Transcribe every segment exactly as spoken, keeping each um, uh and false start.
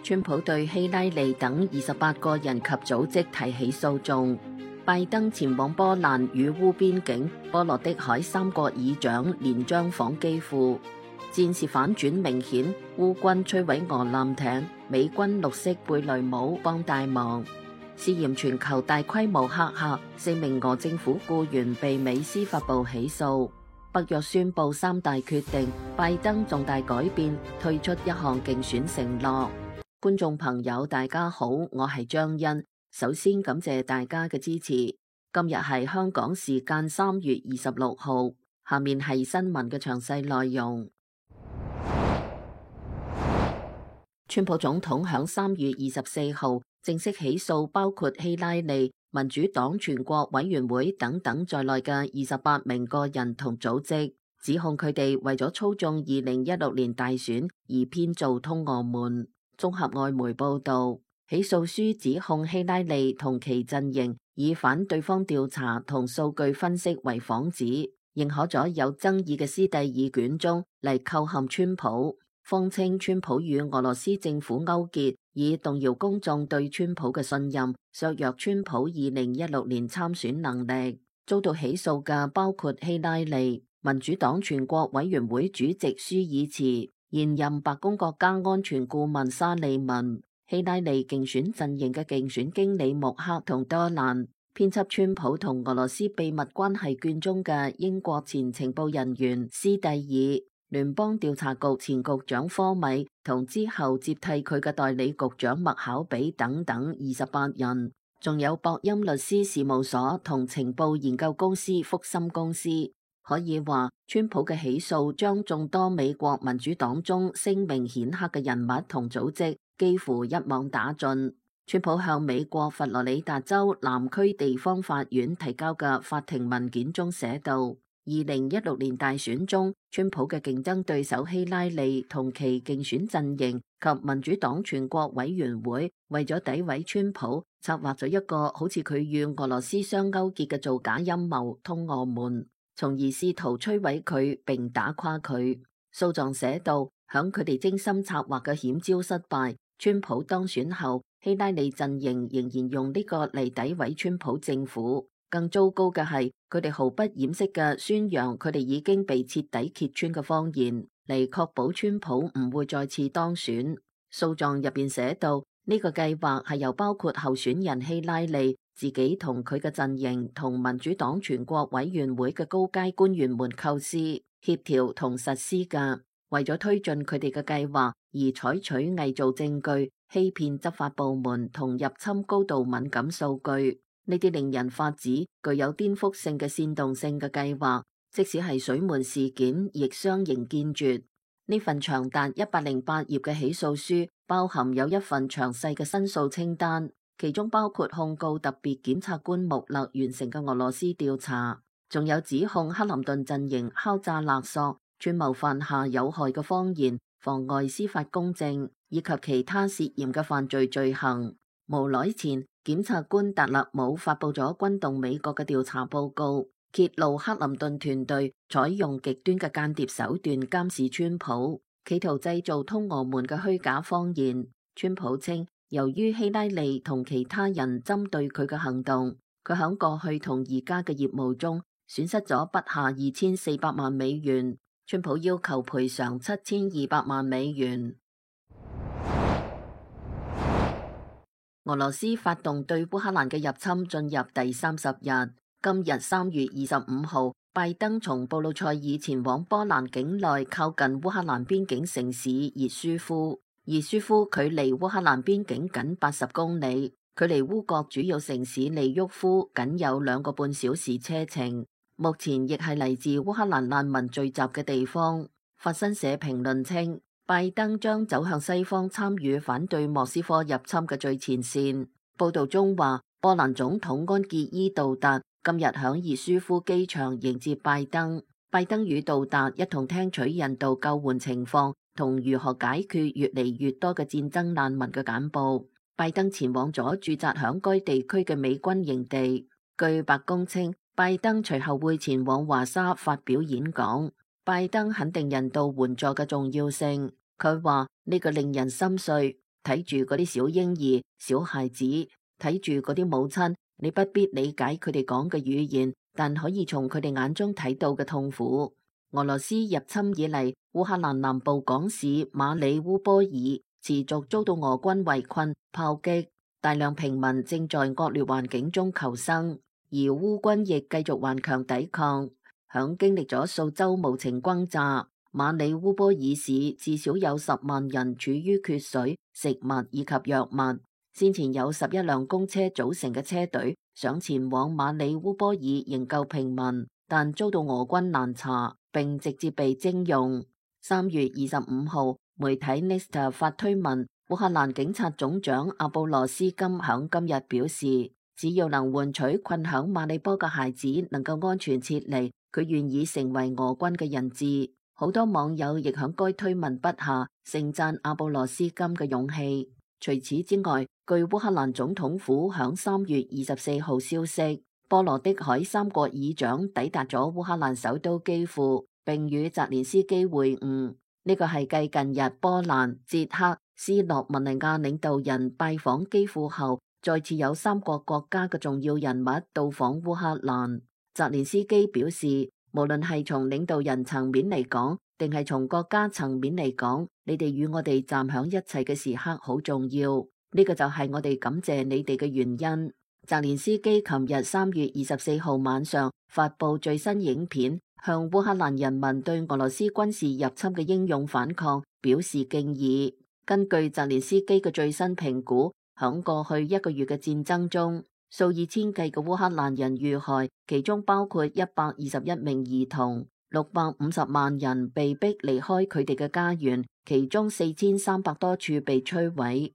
川普對希拉里等二十八個人及組織提起訴訟。拜登前往波蘭與烏邊境，波羅的海三國議長連張訪基輔。戰事反轉明顯，烏軍摧毀俄艦艇，美軍綠色貝雷姆幫大忙。涉嫌全球大規模黑客，四名俄政府僱員被美司法部起訴。北約宣布三大決定，拜登重大改變，退出一項競選承諾。觀眾朋友大家好，我係張欣，首先感謝大家嘅支持。今日係香港時間三月二十六號，下面係新聞嘅詳細內容。川普總統響三月二十四號正式起訴包括希拉里、民主黨全國委員會等等在內嘅二十八名個人同組織，指控佢哋為咗操縱二零一六年大選而編造通俄門。綜合外媒報道，起訴書指控希拉里同其陣營以反對方調查同數據分析為幌子，認可咗有爭議嘅斯蒂爾卷宗嚟構陷川普，謊稱川普與俄羅斯政府勾結，以動搖公眾對川普嘅信任，削弱川普二零一六年參選能力。遭到起訴嘅包括希拉里、民主黨全國委員會主席舒爾茨、現任白宮國家安全顧問沙利文、希拉里競選陣營嘅競選經理穆克同多蘭、編輯川普同俄羅斯秘密關係卷中嘅英國前情報人員斯蒂爾、聯邦調查局前局長科米同之後接替佢嘅代理局長麥考比等等二十八人，仲有博欽律師事務所同情報研究公司福森公司。可以話，川普嘅起訴將眾多美國民主黨中聲名顯赫嘅人物同組織幾乎一網打盡。川普向美國佛羅里達州南區地方法院提交嘅法庭文件中寫道，二零一六年大選中，川普嘅競爭對手希拉里同其競選陣營及民主黨全國委員會為咗詆毀川普，策劃咗一個好似佢與俄羅斯相勾結嘅造假陰謀通俄門，從而試圖摧毀佢並打垮佢。訴狀寫道，響佢哋精心策劃嘅險招失敗，川普當選後，希拉里陣營仍然用呢個嚟詆毀川普政府。更糟糕嘅係，佢哋毫不掩飾嘅宣揚佢哋已經被徹底揭穿嘅謊言，嚟確保川普唔會再次當選。訴狀入邊寫到，呢個計劃係由包括候選人希拉里自己同佢嘅陣營同民主黨全國委員會嘅高階官員們構思、協調同實施嘅，為咗推進佢哋嘅計劃而採取偽造證據、欺騙執法部門同入侵高度敏感數據。呢啲令人髮指、具有顛覆性嘅煽動性嘅計劃，即使係水門事件，亦相形見絀。呢份長達一百零八頁嘅起訴書，包含有一份詳細嘅申訴清單，其中包括控告特別檢察官穆勒完成嘅俄羅斯調查，仲有指控克林頓陣營敲詐勒索、串謀犯下有害嘅謊言、妨礙司法公正以及其他涉嫌嘅犯罪罪行。無耐前，檢察官達勒姆發佈咗轟動美國嘅調查報告，揭露克林頓團隊採用極端嘅間諜手段監視川普，企圖製造通俄門嘅虛假謊言。川普稱，由於希拉里同其他人針對佢嘅行動，佢喺過去同而家嘅業務中損失咗不下二千四百萬美元。川普要求賠償七千二百萬美元。俄羅斯發動對烏克蘭嘅入侵進入第三十日。今日三月二十五號，拜登從布魯塞爾前往波蘭境內靠近烏克蘭邊境城市熱舒夫。熱舒夫距離烏克蘭邊境僅八十公里，距離烏國主要城市利沃夫僅有兩個半小時車程。目前亦係嚟自烏克蘭難民聚集嘅地方。法新社評論稱，拜登將走向西方，參與反對莫斯科入侵嘅最前線。報道中話，波蘭總統安傑伊杜達今日響熱舒夫機場迎接拜登。拜登與杜達一同聽取人道救援情況同如何解決越嚟越多嘅戰爭難民嘅簡報。拜登前往咗駐紮響該地區嘅美軍營地。據白宮稱，拜登隨後會前往華沙發表演講。拜登肯定人道援助嘅重要性，佢話呢個令人心碎。睇住嗰啲小嬰兒、小孩子，睇住嗰啲母親，你不必理解佢哋講嘅語言，但可以從佢哋眼中睇到嘅痛苦。俄羅斯入侵以嚟，烏克蘭南部港市馬里烏波爾持續遭到俄軍圍困、炮擊，大量平民正在惡劣環境中求生，而烏軍亦繼續頑強抵抗。響經歷咗數周無情轟炸，馬里烏波爾市至少有十萬人處於缺水、食物以及藥物。先前有十一輛公車組成嘅車隊想前往馬里烏波爾營救平民，但遭到俄軍攔查，並直接被徵用。三月二十五號，媒體 Nesta 發推文，烏克蘭警察總長阿布羅斯金響今日表示，只要能換取困響馬里波嘅孩子能夠安全撤離，佢願意成為俄軍嘅人質。好多網友亦響該推文筆下盛讚阿布羅斯金嘅勇氣。除此之外，據烏克蘭總統府響三月二十四號消息，波羅的海三國議長抵達咗烏克蘭首都基輔，並與澤連斯基會晤。呢個係繼近日波蘭、捷克、斯洛文尼亞領導人拜訪基輔後，再次有三國國家嘅重要人物到訪烏克蘭。澤連斯基表示，無論係從領導人層面嚟講，定係從國家層面嚟講，你哋與我哋站響一齊嘅時刻好重要。呢個就係我哋感謝你哋嘅原因。澤連斯基琴日三月二十四號晚上發布最新影片，向烏克蘭人民對俄羅斯軍事入侵嘅英勇反抗表示敬意。根據澤連斯基嘅最新評估，響過去一個月嘅戰爭中，數以千計嘅烏克蘭人遇害，其中包括一百二十一名兒童，六百五十萬人被逼離開佢哋嘅家園，其中四千三百多處被摧毀。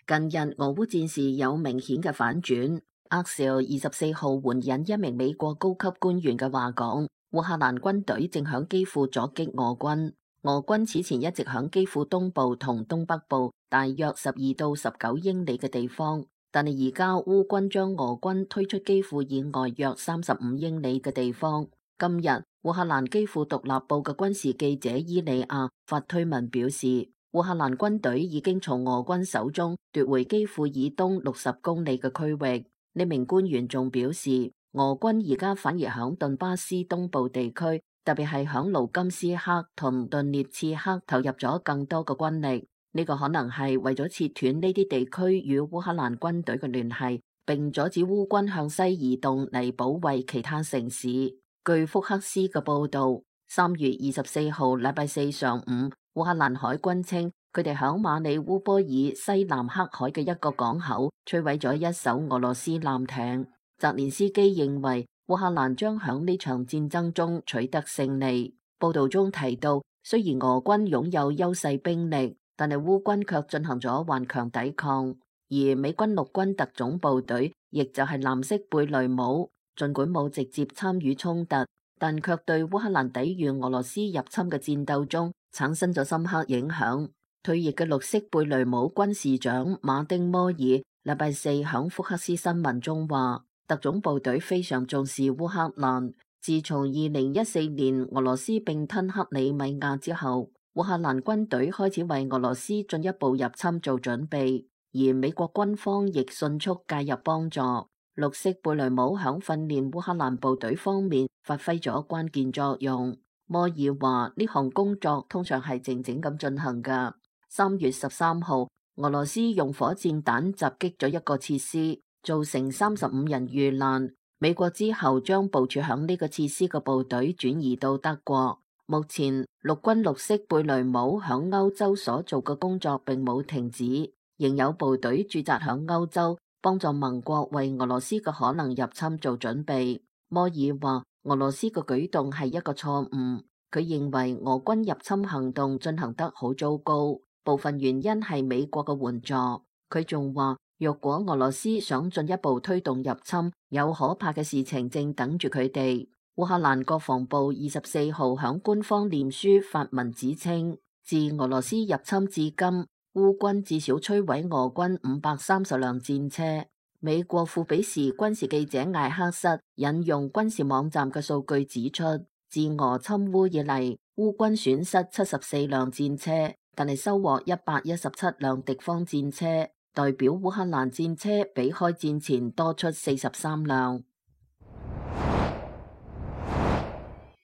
近日俄烏戰事有明顯嘅反轉。Axios 二十四號援引一名美國高級官員嘅話講，烏克蘭軍隊正響基輔阻擊俄軍。俄軍此前一直響基輔東部同東北部大約十二到十九英里嘅地方，但係而家烏軍將俄軍推出基輔以外約三十五英里嘅地方。今日烏克蘭基輔獨立報嘅軍事記者伊利亞發推文表示，烏克蘭軍隊已經從俄軍手中奪回基輔以東六十公里嘅區域。呢名官員仲表示，俄軍而家反而響頓巴斯東部地區，特別係響盧甘斯克同頓涅茨克投入咗更多嘅軍力。呢個可能係為咗切斷呢啲地區與烏克蘭軍隊嘅聯繫，並阻止烏軍向西移動嚟保衛其他城市。據福克斯嘅報道，三月二十四號禮拜四上午，烏克蘭海軍稱佢哋響馬里烏波爾西南黑海嘅一個港口摧毀咗一艘俄羅斯艦艇。澤連斯基認為烏克蘭將響呢場戰爭中取得勝利。報道中提到，雖然俄軍擁有優勢兵力，但係烏軍卻進行咗頑強抵抗。而美軍陸軍特種部隊，亦就係藍色貝雷帽，儘管冇直接參與衝突，但卻對烏克蘭抵禦俄羅斯入侵嘅戰鬥中產生咗深刻影響。退役嘅綠色貝雷帽軍士長馬丁摩爾禮拜四響福克斯新聞中話，特種部隊非常重視烏克蘭。自從二零一四年俄羅斯併吞克里米亞之後，烏克蘭軍隊開始為俄羅斯進一步入侵做準備，而美國軍方亦迅速介入幫助。綠色貝雷帽響訓練烏克蘭部隊方面發揮咗關鍵作用。摩爾話呢項工作通常係靜靜咁進行㗎。三月十三號，俄羅斯用火箭彈襲擊咗一個設施，造成三十五人遇難。美國之後將部署響呢個設施嘅部隊轉移到德國。目前陸軍綠色貝雷帽響歐洲所做嘅工作並冇停止，仍有部隊駐紮響歐洲，幫助盟國為俄羅斯嘅可能入侵做準備。摩爾話俄羅斯嘅舉動係一個錯誤，佢認為俄軍入侵行動進行得好糟糕，部分原因係美國嘅援助。佢仲話，若果俄羅斯想進一步推動入侵，有可怕嘅事情正等住佢哋。烏克蘭國防部二十四號響官方臉書發文指稱，自俄羅斯入侵至今，烏軍至少摧毀俄軍五百三十輛戰車。美國富比士軍事記者艾克瑟引用軍事網站嘅數據指出，自俄侵烏以嚟，烏軍損失七十四輛戰車，但係收穫一百一十七輛敵方戰車，代表烏克蘭戰車比開戰前多出四十三輛。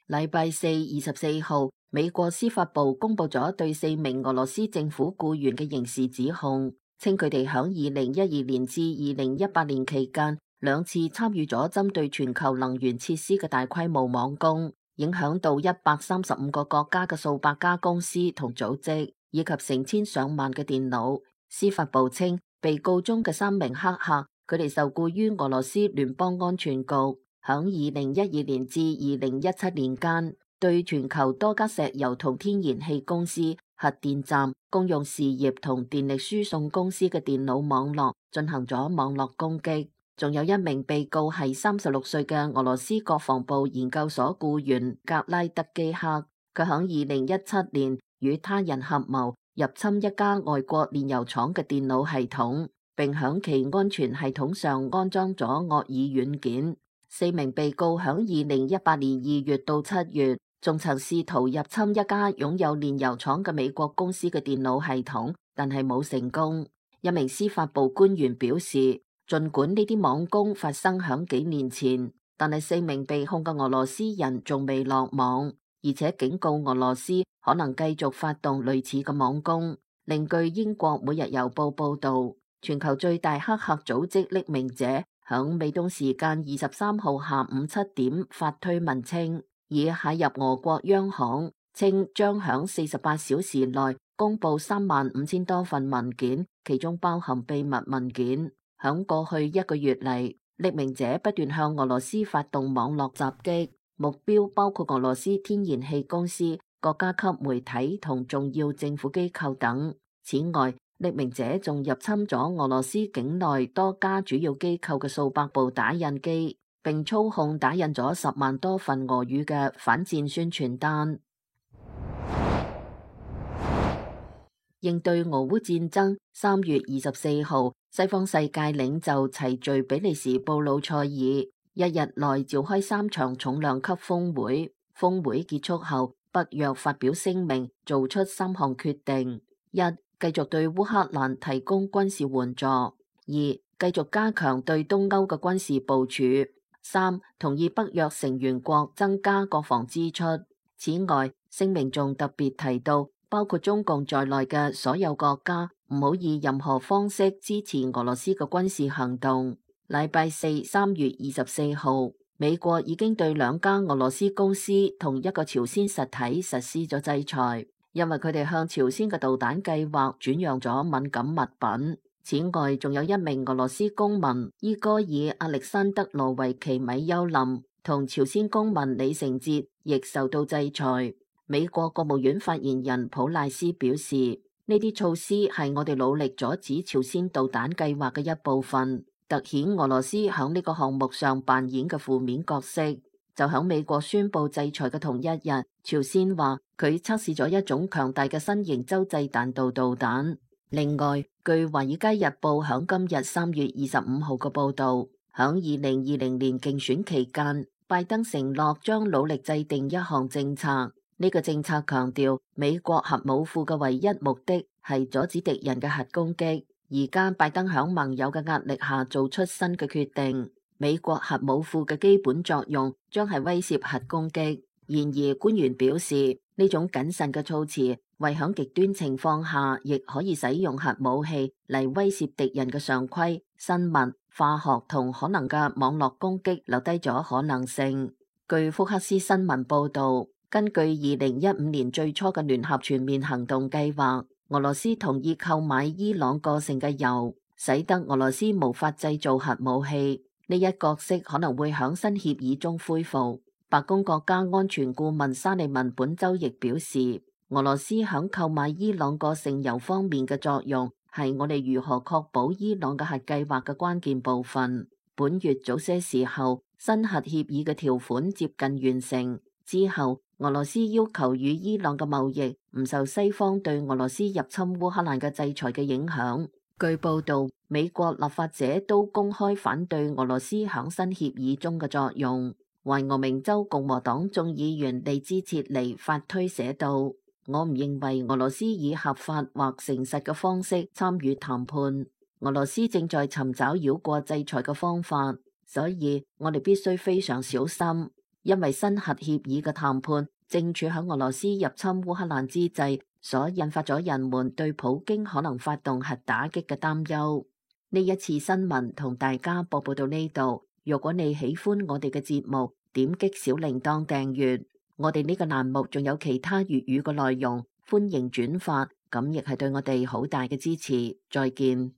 禮拜四二十四號，美國司法部公布咗對四名俄羅斯政府僱員嘅刑事指控，稱佢哋響二零一二年至二零一八年期間兩次參與咗針對全球能源設施嘅大規模網攻，影響到一百三十五個國家嘅數百家公司同組織，以及成千上萬嘅電腦。司法部稱，被告中嘅三名黑客，佢哋受僱於俄羅斯聯邦安全局。響二零一二年至二零一七年間，對全球多家石油同天然氣公司、核電站、公用事業同電力輸送公司嘅電腦網絡進行咗網絡攻擊。仲有一名被告係三十六歲嘅俄羅斯國防部研究所僱員格拉德基克，佢響二零一七年與他人合謀入侵一家外國煉油廠嘅電腦系統，並響其安全系統上安裝咗惡意軟件。四名被告響二零一八年二月到七月，仲曾試圖入侵一家擁有煉油廠嘅美國公司嘅電腦系統，但係冇成功。一名司法部官員表示，儘管呢啲網攻發生響幾年前，但係四名被控嘅俄羅斯人仲未落網，而且警告俄羅斯可能繼續發動類似嘅網攻。另據英國每日郵報報道，全球最大黑客組織匿名者響美東時間二十三號下午七點發推文稱，已駭入俄國央行，稱將響四十八小時內公布三萬五千多份文件，其中包含秘密文件。響過去一個月嚟，匿名者不斷向俄羅斯發動網絡襲擊，目標包括俄羅斯天然氣公司、國家級媒體同重要政府機構等。此外，匿名者仲入侵咗俄羅斯境內多家主要機構嘅數百部打印機，並操控打印咗十萬多份俄語嘅反戰宣傳單。應對俄烏戰爭，三月二十四號，西方世界領袖齊聚比利時布魯塞爾，一日內召開三場重量級峰會。峰會結束後，北約發表聲明，做出三項決定：一、繼續對烏克蘭提供軍事援助；二、繼續加強對東歐嘅軍事部署；三、同意北約成員國增加國防支出。此外，聲明仲特別提到，包括中共在內嘅所有國家唔好以任何方式支持俄羅斯嘅軍事行動。禮拜四三月二十四號，美國已經對兩家俄羅斯公司同一個朝鮮實體實施咗制裁，因為佢哋向朝鮮嘅導彈計劃轉讓咗敏感物品。此外，仲有一名俄羅斯公民伊戈爾·亞歷山德羅維奇米丘林同朝鮮公民李成哲亦受到制裁。美國國務院發言人普賴斯表示，呢啲措施係我哋努力阻止朝鮮導彈計劃嘅一部分，凸顯俄羅斯響呢個項目上扮演嘅負面角色。就響美國宣布制裁嘅同一日，朝鮮話佢測試咗一種強大嘅新型洲際彈道導彈。另外，據華爾街日報響今日三月二十五號嘅報道，響二零二零年競選期間，拜登承諾將努力制定一項政策。呢個政策強調，美國核武庫嘅唯一目的係阻止敵人嘅核攻擊。而家拜登響盟友嘅壓力下做出新嘅決定，美國核武庫嘅基本作用將係威懾核攻擊。然而，官員表示呢種謹慎嘅措辭，為響極端情況下亦可以使用核武器嚟威懾敵人嘅常規、生物、化學同可能嘅網絡攻擊留低咗可能性。據福克斯新聞報道，根據二零一五年最初嘅聯合全面行動計劃，俄羅斯同意購買伊朗過剩嘅油，使得俄羅斯無法製造核武器。呢一角色可能會響新協議中恢復。白宮國家安全顧問沙利文本周亦表示，俄羅斯響購買伊朗過剩油方面嘅作用係我哋如何確保伊朗嘅核計劃嘅關鍵部分。本月早些時候，新核協議嘅條款接近完成之後，俄羅斯要求與伊朗嘅貿易唔受西方對俄羅斯入侵烏克蘭嘅制裁嘅影響。據報道，美國立法者都公開反對俄羅斯響新協議中嘅作用。懷俄明州共和黨眾議員利茲切尼發推寫道：我唔認為俄羅斯以合法或誠實嘅方式參與談判。俄羅斯正在尋找繞過制裁嘅方法，所以我哋必須非常小心，因為新核協議嘅談判正處喺俄羅斯入侵烏克蘭之際，所引發咗人們對普京可能發動核打擊嘅擔憂。呢一次新聞同大家播報到呢度。如果你喜歡我哋嘅節目，點擊小鈴鐺訂閱。我哋呢個欄目仲有其他粵語嘅內容，歡迎轉發，咁亦係對我哋好大嘅支持。再見。